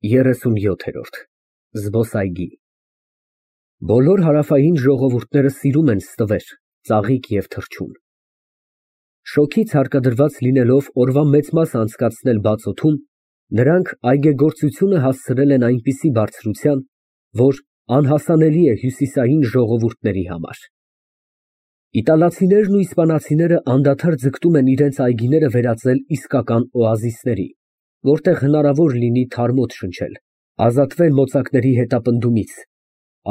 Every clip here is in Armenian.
37 Զբոսայգի Բոլոր հարավային ժողովուրդները սիրում են ստվեր, ծաղիկ և թռչուն։ Շոգից հարկադրված լինելով օրվա մեծ մասը անցկացնել բացօդում, նրանք այգեգործությունը հասցրել են այնպիսի բարձրության, որ անհասանելի է հյուսիսային ժողովուրդների համար։ Իտալացիներն ու իսպանացիները անդադար ձգտում են իրենց այգիները վերածել իսկական օազիսների, որտեղ հնարավոր լինի թարմոտ շնչել, ազատվել մոծակների հետապնդումից,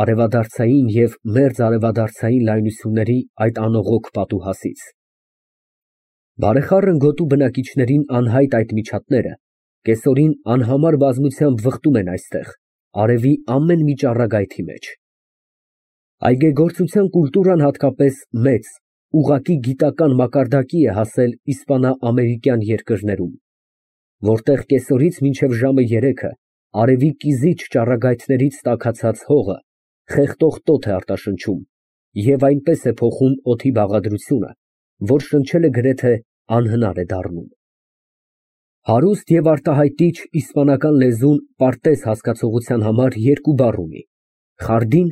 արևադարձային և մերձարևադարձային լայնությունների այդ անողոք պատուհասից։ Բարեխառն գոտու բնակիչներին անհայտ այդ միջատները կեսօրին անհամար բազմությամբ վխտում են այստեղ, արևի ամեն մի ճառագայթի մեջ։ Այգեգործության կուլտուրան հատկապես մեծ, ուղղակի գիտական մակարդակի է հասել իսպանա֊ամերիկյան երկրներում, որտեղ կեսօրից մինչև ժամը 3-ը արևի կիզիչ ճառագայթներից տաքացած հողը խեղդող տոթ է արտաշնչում և այնպես է փոխում օդի բաղադրությունը, որ շնչելը գրեթե անհնար է դառնում։ Հարուստ և արտահայտիչ իսպանական լեզուն պարտեզ հասկացողության համար երկու բառ ունի. խարդին,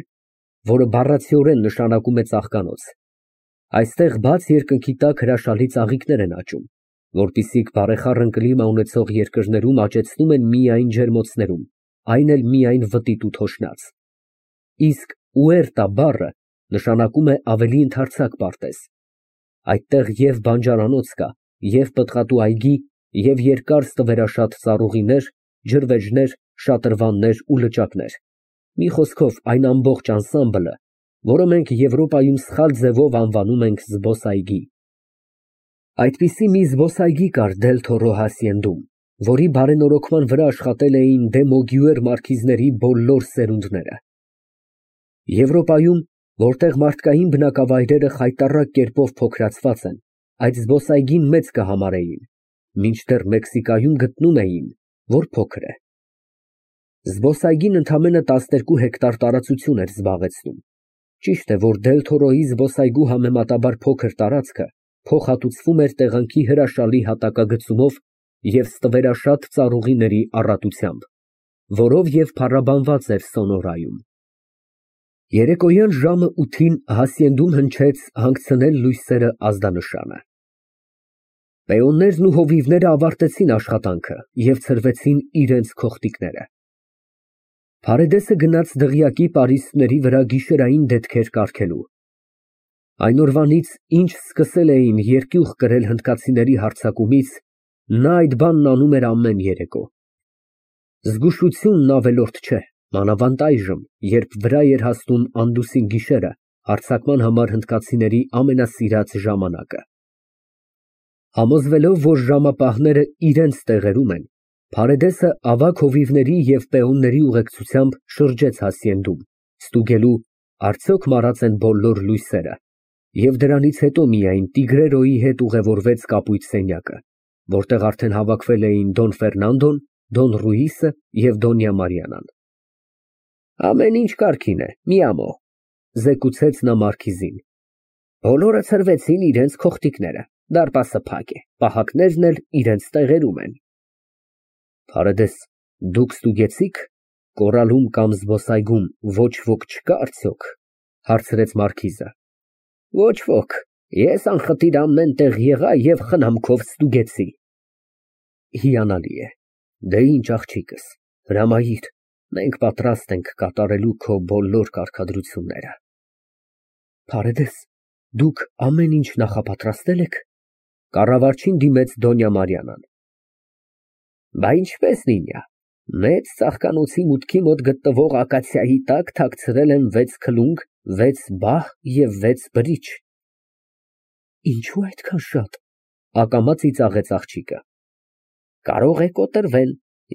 որը բառացիորեն նշանակում է ծաղկանոց։ Այստեղ բաց երկնքի տակ հրաշալի ծաղիկներ են աճում, որպիսիք բարեխառն կլիմա ունեցող երկրներում աճեցնում են միայն ջերմոցներում, այն էլ միայն վտիտ ու թոշնած։ Իսկ ուերտա բառը նշանակում է ավելի ընդարձակ պարտեզ։ Այդտեղ և բանջարանոց կա, և պտղատու այգի, և երկար ստվերաշատ ծառուղիներ, ջրվեժներ, շատրվաններ ու լճակներ, մի խոսքով այն ամբողջ անսամբլը, որը մենք Եվրոպայում սխալ ձևով անվանում ենք զբոսայգի։ Այդպիսի մի զբոսայգի կար Դել֊Թորո հասցենդում, որի բարենորոգման վրա աշխատել էին դե Մոգյուեր մարքիզների բոլոր սերունդները։ Եվրոպայում, որտեղ մարդկային բնակավայրերը խայտառակ կերպով փոքրացված են, այդ զբոսայգին մեծ կհամարեին, մինչդեռ Մեքսիկայում գտնում էին, որ փոքր է։ Զբոսայգին ընդամենը 12 հեկտար տարածություն էր զբաղեցնում։ Ճիշտ է, որ Դել֊Թորոյի զբոսայգու համեմատաբար փոքր տարածքը փոխհատուցվում էր տեղանքի հրաշալի հատակագծումով և ստվերաշատ ծառուղիների առատությամբ, որով և փառաբանված էր Սոնորայում։ Երեկոյան ժամը 8-ին հասցենդում հնչեց «Հանգցնել լույսերը» ազդանշանը։ Պեոններն ու հովիվները ավարտեցին աշխատանքը և ցրվեցին իրենց քոխտիկները։ Փարեդեսը գնաց դղյակի պարիսպների վրա գիշերային դետքեր կառքելու։ Այն օրվանից, ինչ սկսել էին երկյուղ կրել հնդկացիների հարձակումից, նա այդ բանն անում էր ամեն երեկո։ Զգուշությունն ավելորդ չէ, մանավանդ այժմ, երբ վրա էր հասնում անդուսին գիշերը, հարձակման համար հնդկացիների ամենասիրած ժամանակը։ Համոզվելով, որ ժամապահները իրենց տեղերում են, Փարեդեսը ավագ հովիվների և պեոնների ուղեկցությամբ շրջեց հասցենդում, ստուգելու արդյոք մարած են բոլոր լույսերը, և դրանից հետո միայն Տիգրերոյի հետ ուղևորվեց կապույտ սենյակը, որտեղ արդեն հավաքվել էին Դոն Ֆերնանդոն, Դոն Ռուիսը և Դոնյա Մարիանան։ Ամեն ինչ կարգին է, մի ամոհ, զեկուցեց նա մարքիզին։ Բոլորը ցրվեցին իրենց քոխտիկները, դարպասը փակ է, պահակներն էլ իրենց տեղերում են։ Փարեդես, դուք ստուգեցի՞ք, կորալում կամ զբոսայգում ոչ ոք չկա արդյոք, հարցրեց մարքիզը։ Ոչ ոք, ես անխտիր ամեն տեղ եղա և խնամքով ստուգեցի։ Հիանալի է, դե ինչ աղջիկս, հրամայիր, մենք պատրաստ ենք կատարելու քո բոլոր կարգադրությունները։ Փարեդես, դուք ամեն ինչ նախապատրաստել եք, կառավարչին դիմեց Դոնյա Մարիանան։ Բա ինչպես լինյա, մեծ ծաղկանոցի մուտքի մոտ գտնվող ակացիայի տակ թաքցրել եմ 6 քլունգ, 6 բահ և 6 բրիչ։ Ինչո՞ւ այդքան շատ, ակամա ծիծաղեց աղջիկը։ Կարող է կոտրվել,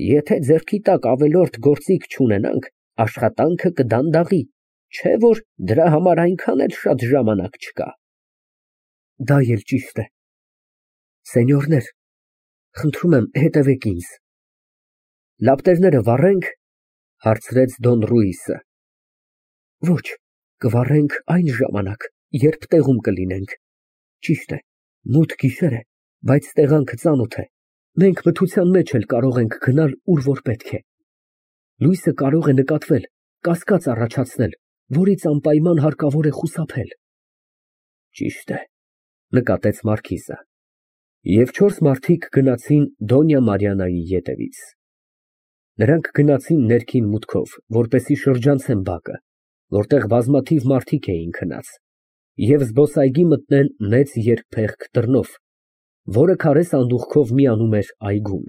եթե ձեռքի տակ ավելորդ գործիք չունենանք, աշխատանքը կդանդաղի, չէ որ դրա համար այնքան էլ շատ ժամանակ չկա։ Դա էլ ճիշտ է։ Սենյորներ, խնդրում եմ, հետևեք ինձ։ Լապտերները վառե՞նք, հարցրեց Դոն Ռուիսը։ Ոչ, կվառենք այն ժամանակ, երբ տեղում կլինենք։ Ճիշտ է, մութ գիշեր է, բայց տեղանքը ծանոթ է, մենք մթության մեջ էլ կարող ենք գնալ, ուր որ պետք է։ Լույսը կարող է նկատվել, կասկած առաջացնել, որից անպայման հարկավոր է խուսափել։ Ճիշտ է, նկատեց մարքիզը։ Եվ 4 մարդիկ գնացին Դոնյա Մարիաննայի ետևից։ Նրանք գնացին ներքին մուտքով, որպեսզի շրջանցեն բակը, որտեղ բազմաթիվ մարդիկ էին քնած, և զբոսայգի մտնեն մեծ երկփեղկ դռնով, որը քարե սանդուղքով միանում էր այգուն։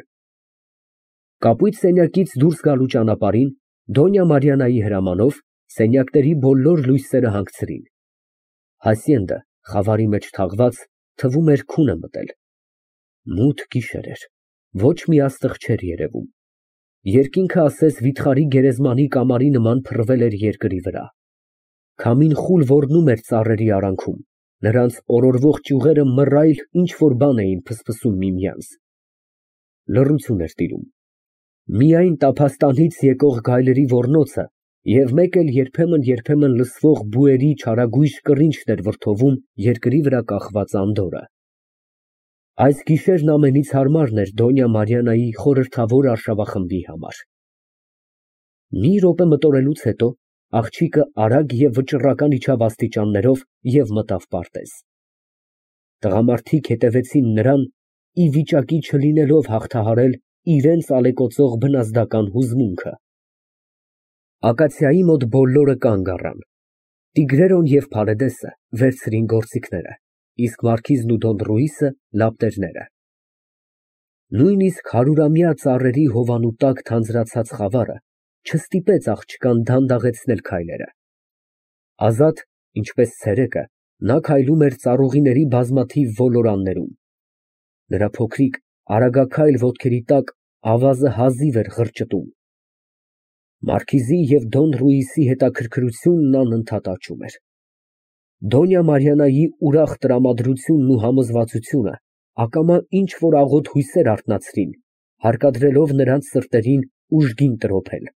Կապույտ սենյակից դուրս գալու ճանապարհին Դոնյա Մարիաննայի հրամանով սենյակների բոլոր լույսերը հանգցրին։ Հասյենդը, խավարի մեջ թաղված, թվում էր քուն է մտել։ Մութ գիշեր էր, ոչ մի աստղ չէր երևում։ Երկինքը ասես վիթխարի գերեզմանի կամարի նման փռվել էր երկրի վրա։ Քամին խուլ ոռնում էր ծառերի արանքում, նրանց օրորվող ճյուղերը մռայլ ինչ֊որ բան էին ֆսֆսում միմյանց։ Լռություն էր տիրում։ Միայն տափաստանից եկող գայլերի ոռնոցը և մեկ էլ երբեմն լսվող բուերի չարագույժ կռինչն էր վրդովում երկրի վրա կախված անդորրը։ Այս գիշերն ամենից հարմարն էր Դոնյա Մարիաննայի խորհրդավոր արշավախմբի համար։ Մի րոպե մտորելուց հետո աղջիկը արագ և վճռական իջավ աստիճաններով և մտավ պարտեզ։ Տղամարդիկ հետևեցին նրան, ի վիճակի չլինելով հաղթահարել իրենց ալեկոծող բնազդական հուզմունքը։ Ակացիայի մոտ բոլորը կանգ առան։ Տիգրերոն և Փարեդեսը վերցրին գործիքները, իսկ մարքիզն ու Դոն Ռուիսը լապտերները։ Նույնիսկ հարյուրամյա ծառերի հովանու տակ թանձրացած խավարը չստիպեց աղջկան դանդաղեցնել քայլերը։ Ազատ, ինչպես ցերեկը, նա քայլում էր ծառուղիների բազմաթիվ ոլորաններում։ Նրա փոքրիկ, արագաքայլ ոտքերի տակ ավազը հազիվ էր ղրճտում։ Մարքիզի և Դոն Ռուիսի հետաքրքրությունն անընդհատ աճում էր։ Դոնյա Մարիաննայի ուրախ տրամադրությունն ու համոզվածությունը ակամա ինչ֊որ աղոտ հույսեր արթնացրին, հարկադրելով նրանց սրտերին ուժգին տրոփել։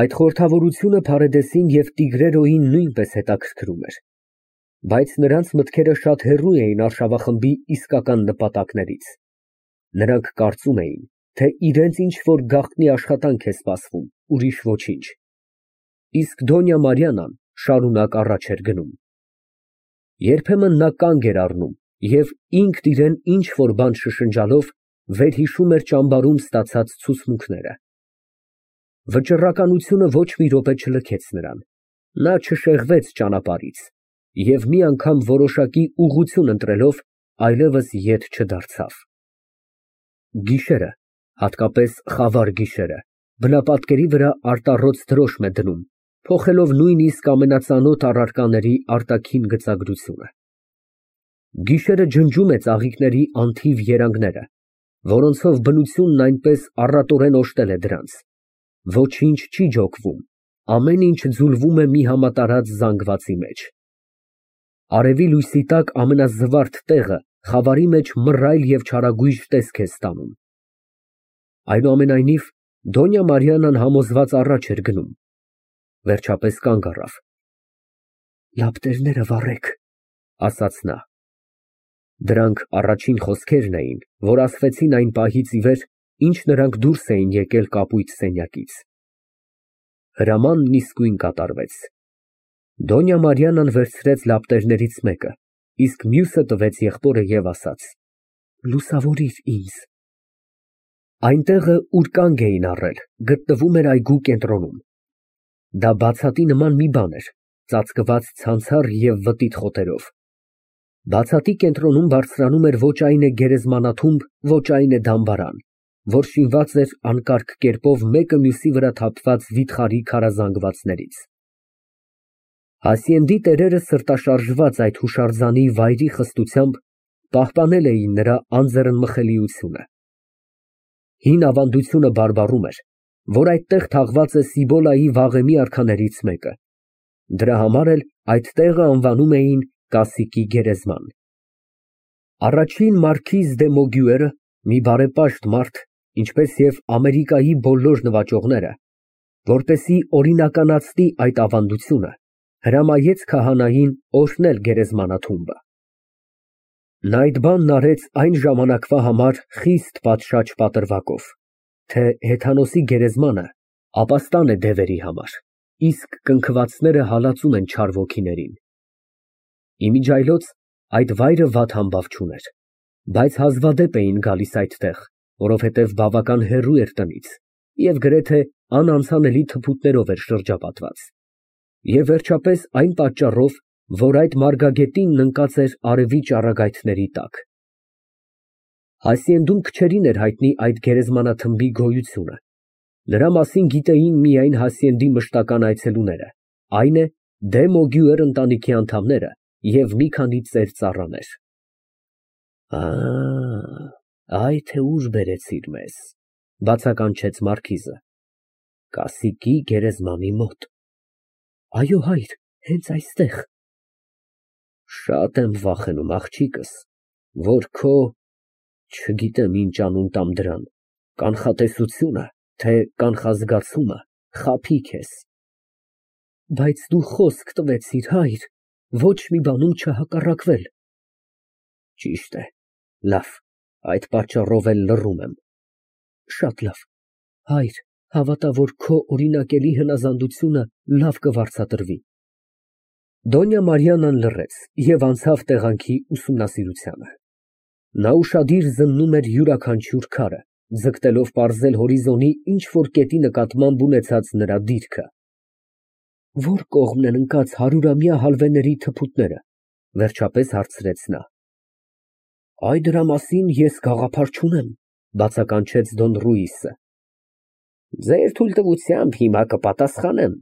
Այդ խորհրդավորությունը Փարեդեսին և Տիգրերոյին նույնպես հետաքրքրում էր, բայց նրանց մտքերը շատ հեռու էին արշավախմբի իսկական նպատակներից։ Նրանք կարծում էին, թե իրենց ինչ֊որ գաղտնի աշխատանք է սպասվում, ուրիշ ոչինչ։ Իսկ Դոնյա Մարիաննան շարունակ առաջ էր գնում։ Երբեմն նա կանգ էր առնում և ինքն իրեն ինչ֊որ բան շշնջալով վերհիշում էր ճամբարում ստացած ցուցմունքները։ Վճռականությունը ոչ մի րոպե չլքեց նրան։ Նա չշեղվեց ճանապարհից և մի անգամ որոշակի ուղղություն ընտրելով այլևս ետ չդարձավ։ Գիշերը, հատկապես խավար գիշերը, բնապատկերի վրա արտառոց դրոշմ է դնում, փոխելով նույնիսկ ամենածանոթ առարկաների արտաքին գծագրությունը։ Գիշերը ջնջում է ծաղիկների անթիվ երանգները, որոնցով բնությունն այնպես առատորեն օժտել է դրանց։ Ոչինչ չի ջոկվում, ամեն ինչ ձուլվում է մի համատարած զանգվածի մեջ։ Արևի լույսի տակ ամենազվարթ տեղը խավարի մեջ մռայլ և չարագույժ տեսք է ստանում։ Այնուամենայնիվ, Դոնյա Մարիաննան համոզված առաջ էր գնում։ Վերջապես կանգ առավ։ «Լապտերները վառեք», ասաց նա։ Դրանք առաջին խոսքերն էին, որ ասվեցին այն պահից ի վեր, ինչ նրանք դուրս էին եկել կապույտ սենյակից։ Հրամանն իսկույն կատարվեց։ Դոնյա Մարիաննան վերցրեց լապտերներից մեկը, իսկ մյուսը տվեց եղբորը և ասաց. «Լուսավորիր ինձ»։ Այնտեղը, ուր կանգ էին առել, գտնվում էր այգու կենտրոնում։ Դա բացատի նման մի բան էր, ծածկված ցանցառ և վտիտ խոտերով։ Բացատի կենտրոնում բարձրանում էր ոչ այն է գերեզմանաթումբ, ոչ այն է դամբարան, որ շինված էր անկարգ կերպով մեկը մյուսի վրա թափված վիթխարի քարազանգվածներից։ Հասյենդի տերերը սրտաշարժված այդ հուշարձանի վայրի խստությամբ պահպանել էին նրա անձեռնմխելիությունը։ Հին ավանդությունը բարբառում էր, որ այդտեղ թաղված է Սիբոլայի վաղեմի արքաներից մեկը։ Դրա համար էլ այդ տեղը անվանում էին Կասիկի գերեզման։ Առաջին մարքիզ դե Մոգյուերը, մի բարեպաշտ մարդ, ինչպես և Ամերիկայի բոլոր նվաճողները, որպեսզի օրինականացնի այդ ավանդությունը, հրամայեց քահանային օրհնել գերեզմանաթումբը։ Նա այդ բանն արեց այն ժամանակվա համար խիստ պատշաճ պատրվակով, թե հեթանոսի գերեզմանը Ապաստան է դևերի համար, իսկ կնքվածները հալածում են չար ոգիներին։ Իմիջիայլոց այդ վայրը վատ համբավ չուներ, բայց հազվադեպ էին գալիս այդտեղ, որովհետև բավական հեռու էր տնից և գրեթե անանցանելի թփուտներով էր շրջապատված, և վերջապես այն պատճառով, որ այդ մարգագետինն ընկած էր արևի ճառագայթների տակ։ Հասցենդում քչերին էր հայտնի այդ գերեզմանաթմբի գոյությունը, նրա մասին գիտեին միայն Հասցենդի մշտական այցելուները, այն է դե Մոգյուեր ընտանիքի անդամները և մի քանի ծեր ծառաներ։ Այ թե ուր բերեցիր մեզ, բացականչեց մարքիզը։ Կասիկի գերեզմանի մոտ։ Այո, հայր, հենց այստեղ։ Շատ եմ վախենում, աղջիկս, որ քո, չգիտեմ ինչ անուն տամ դրան, կանխատեսությունը, թե կանխազգացումը խաբի քեզ։ Բայց դու խոսք տվեցիր, հայր, ոչ մի բանում չհակառակվել։ Ճիշտ է, լավ, այդ պատճառով էլ լռում եմ։ Շատ լավ, հայր, հավատա, որ քո օրինակելի հնազանդությունը լավ կվարձատրվի։ Դոնյա Մարիանան լռեց և անցավ տեղանքի ուսումնասիրությանը։ Նա ուշադիր զննում էր յուրաքանչյուր քարը, ձգտելով պարզել հորիզոնի ինչ֊որ կետի նկատմամբ ունեցած նրա դիրքը։ Ո՞ր կողմն են ընկած հարյուրամյա հալվեների թփուտները, վերջապես հարցրեց նա։ Այ դրա մասին ես գաղափար չունեմ, բացականչեց Դոն Ռուիսը։ Ձեր թույլտվությամբ հիմա կպատասխանեմ,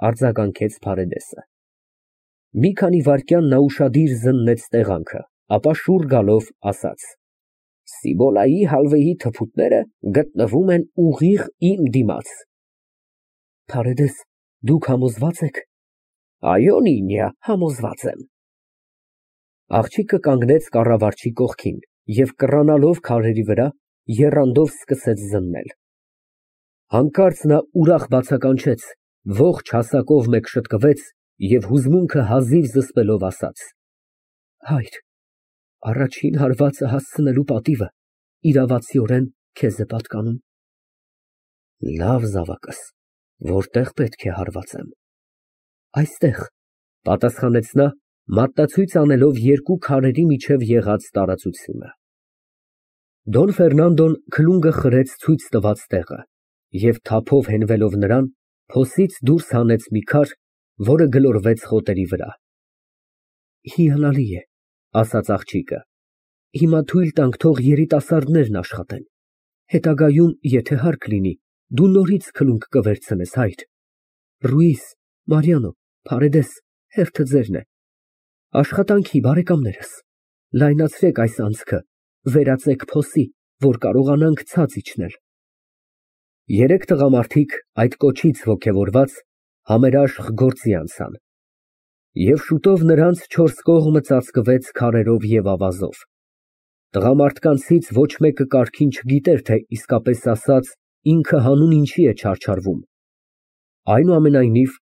արձագանքեց Փարեդեսը։ Մի քանի վայրկյան նա ուշադիր զննեց տեղանքը, ապա շուռ գալով ասաց. Սիբոլայի հալվեի թփուտները գտնվում են ուղիղ իմ դիմաց։ Փարեդես, դուք համոզվա՞ծ եք։ Այո, Նինիա, համոզված եմ։ Աղջիկը կանգնեց կառավարչի կողքին և կռանալով քարերի վրա, եռանդով սկսեց զննել։ Հանկարծ նա ուրախ բացականչեց, ողջ հասակով մեկ շտկվեց և հուզմունքը հազիվ զսպելով ասաց. Հայր, առաջին հարվածը հասցնելու պատիվը իրավացիորեն քեզ է պատկանում։ Լավ, զավակս, որտեղ պետք է հարվածեմ։ Այստեղ, պատասխանեց նա, մատնացույց անելով երկու քարերի միջև եղած տարածությունը։ Դոն Ֆերնանդոն քլունգը խրեց ցույց տված տեղը և թափով հենվելով նրան, փոսից դուրս հանեց մի քար, որը գլորվեց խոտերի վրա։ Հիանալի է, ասաց աղջիկը։ Հիմա թույլ տանք, թող երիտասարդներն աշխատեն։ Հետագայում, եթե հարկ լինի, դու նորից քլունգ կվերցնես, հայր։ Ռուիս, Մարիանո, Փարեդես, հերթը ձերն է։ Աշխատանքի, բարեկամներս, լայնացրեք այս անցքը, վերածեք փոսի, որ կարողանանք ցած իջնել։ Երեք տղամարդիկ այդ կոչից ոգևորված համերաշխ գործի անցան։ Եվ շուտով նրանց չորս կողմը ծածկվեց քարերով և ավազով։ Տղամարդկանցից ոչ մեկը կարգին չգիտեր, թե իսկապես ասած ինքը հանուն ինչի է չարչարվում։ Այնուամենայնիվ,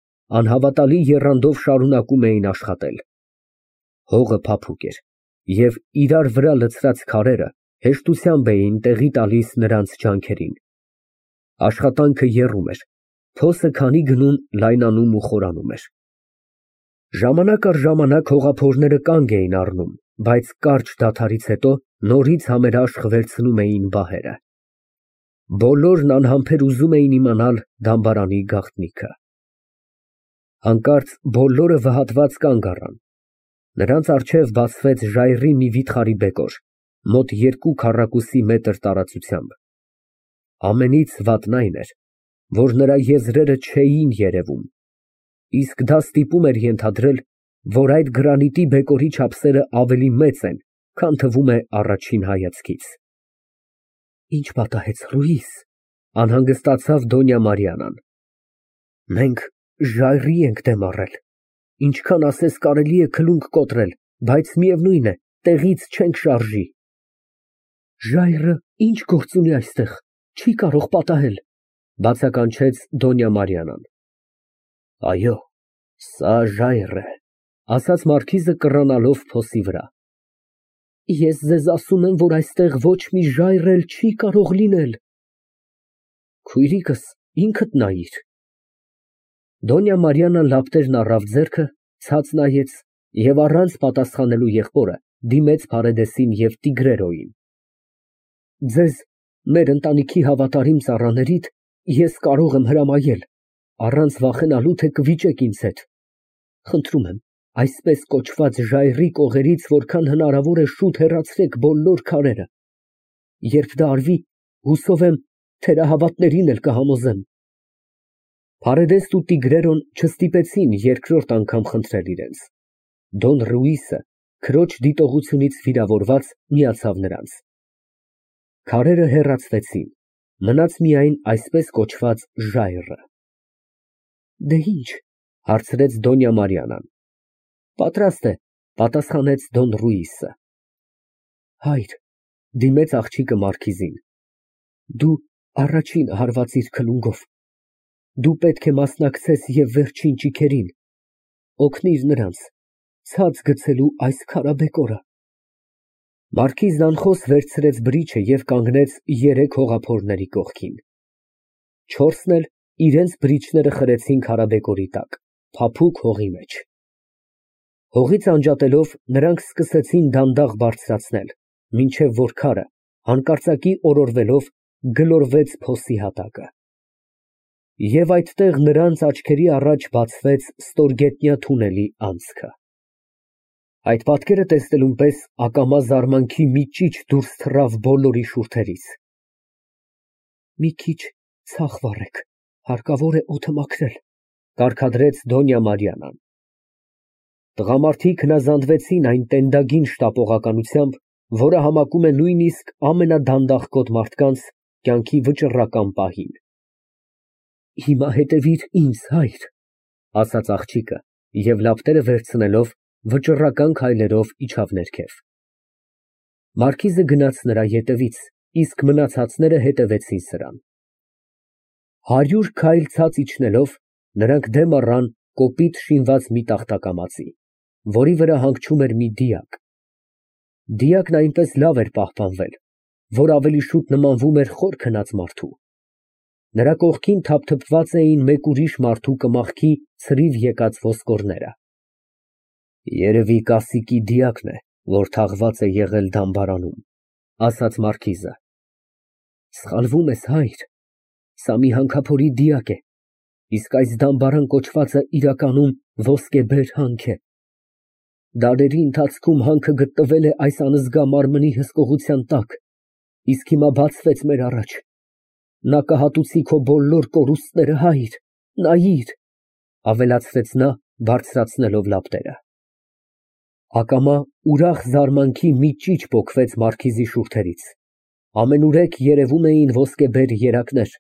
անհավատալի եռանդով շարունակում էին աշխատել։ Հողը փափուկ էր, և իրար վրա լցրած քարերը հեշտությամբ էին տեղի տալիս նրանց ջանքերին։ Աշխատանքը եռում էր, փոսը քանի գնում լայնանում ու խորանում էր։ Ժամանակ առ ժամանակ հողափորները կանգ էին առնում, բայց կարճ դադարից հետո նորից համերաշխ վերցնում էին բահերը։ Բոլորն անհամբեր ուզում էին իմանալ դամբարանի գաղտնիքը։ Հանկարծ բոլորը վհատված կանգ առան։ Նրանց առջև բացվեց ժայռի մի վիթխարի բեկոր, մոտ 2 քառակուսի մետր տարածությամբ։ Ամենից վատն այն էր, որ նրա եզրերը չէին երևում, իսկ դա ստիպում էր ենթադրել, որ այդ գրանիտի բեկորի չափսերը ավելի մեծ են, քան թվում է առաջին հայացքից։ Ինչ պատահեց, Ռուիս, անհանգստացավ Դոնյա Մարիանան։ Մենք ժայռի ենք դեմ առել, ինչքան ասես կարելի է քլունգ կոտրել, բայց միևնույն է, տեղից չենք շարժի։ Ժայռը ինչ գործ ունի այստեղ, չի կարող պատահել, բացականչեց Դոնյա Մարիանան։ Այո, սա ժայռ է, ասաց մարքիզը կռանալով փոսի վրա։ Ես ձեզ ասում եմ, որ այստեղ ոչ մի ժայռ էլ չի կարող լինել։ Քույրիկս, ինքդ նայիր։ Դոնյա Մարիանան լապտերն առավ ձեռքը, ցած նայեց և առանց պատասխանելու եղբորը դիմեց Փարեդեսին և Տիգրերոյին։ Ձեզ, մեր ընտանիքի հավատարիմ ծառաներիդ, ես կարող եմ հրամայել, առանց վախենալու, թե կվիճեք ինձ հետ։ Խնդրում եմ, այսպես կոչված ժայռի կողերից որքան հնարավոր է շուտ հեռացրեք բոլոր քարերը։ Երբ դա արվի, հուսով եմ, թերահավատներին էլ կհամոզեմ։ Փարեդեսն ու Տիգրերոն չստիպեցին երկրորդ անգամ խնդրել իրենց։ Դոն Ռուիսը, քրոջ դիտողությունից վիրավորված, միացավ նրանց։ Քարերը հեռացվեցին, մնաց միայն այսպես կոչված ժայռը։ Դե ինչ, հարցրեց Դոնյա Մարիանան։ Պատրաստ է, պատասխանեց Դոն Ռուիսը։ Հայր, դիմեց աղջիկը մարքիզին, դու առաջինը հարվածիր քլունգով։ Դու պետք է մասնակցես և վերջին ճիգերին, օգնիր նրանց, ցած գցելու այս քարաբեկորը։ Մարքիզն անխոս վերցրեց բրիչը և կանգնեց երեք հողափորների կողքին։ Չորսն էլ իրենց բրիչները խրեցին քարաբեկորի տակ, փափուկ հողի մեջ։ Հողից անջատելով, նրանք սկսեցին դանդաղ բարձրացնել, մինչև որ քարը, հանկարծակի օրորվելով, գլորվեց փոսի հատակը։ Եվ այդտեղ նրանց աչքերի առաջ բացվեց ստորգետնյա թունելի անցքը։ Այդ պատկերը տեսնելուն պես ակամա զարմանքի մի ճիչ դուրս թռավ բոլորի շուրթերից։ Մի քիչ ցախ վառեք, հարկավոր է օդը մաքրել, կարգադրեց Դոնյա Մարիանան։ Տղամարդիկ հնազանդվեցին այն տենդագին շտապողականությամբ, որը համակում է նույնիսկ ամենադանդաղկոտ մարդկանց կյանքի վճռական պահին։ Հիմա հետևիր ինձ, հայր, ասաց աղջիկը և լապտերը վերցնելով, վճռական քայլերով իջավ ներքև։ Մարքիզը գնաց նրա ետևից, իսկ մնացածները հետևեցին սրան։ 100 քայլ ցած իջնելով, նրանք դեմ առան կոպիտ շինված մի տախտակամածի, որի վրա հանգչում էր մի դիակ։ Դիակն այնպես լավ էր պահպանվել, որ ավելի շուտ նմանվում էր խոր քնած մարդու։ Նրա կողքին թափթփված էին մեկ ուրիշ մարդու կմախքի ցրիվ եկած ոսկորները։ Երևի կասիկի դիակն է, որ թաղված է եղել դամբարանում, ասաց մարքիզը։ Սխալվում ես, հայր, սա մի հանքափորի դիակ է, իսկ այս դամբարան կոչվածը իրականում ոսկեբեր հանք է։ Դարերի ընթացքում հանքը գտնվել է այս անզգա մարմնի հսկողության տակ, իսկ հիմա բացվեց մեր առաջ։ Նա կհատուցի քո բոլոր կորուստները, հայր, նայիր, ավելացրեց նա, բարձրացնելով լապտերը։ Ակամա ուրախ զարմանքի մի ճիչ պոկվեց մարքիզի շուրթերից։ Ամենուրեք երևում էին ոսկեբեր երակներ,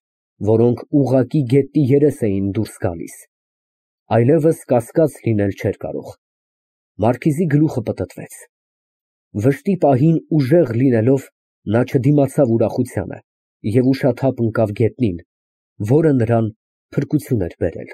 որոնք ուղղակի գետնի երես էին դուրս գալիս։ Այլևս կասկած լինել չէր կարող։ Մարքիզի գլուխը պտտվեց։ Վշտի պահին ուժեղ լինելով, նա չդիմացավ ուրախությանը և ուշաթափ ընկավ գետնին, որը նրան փրկություն էր բերել։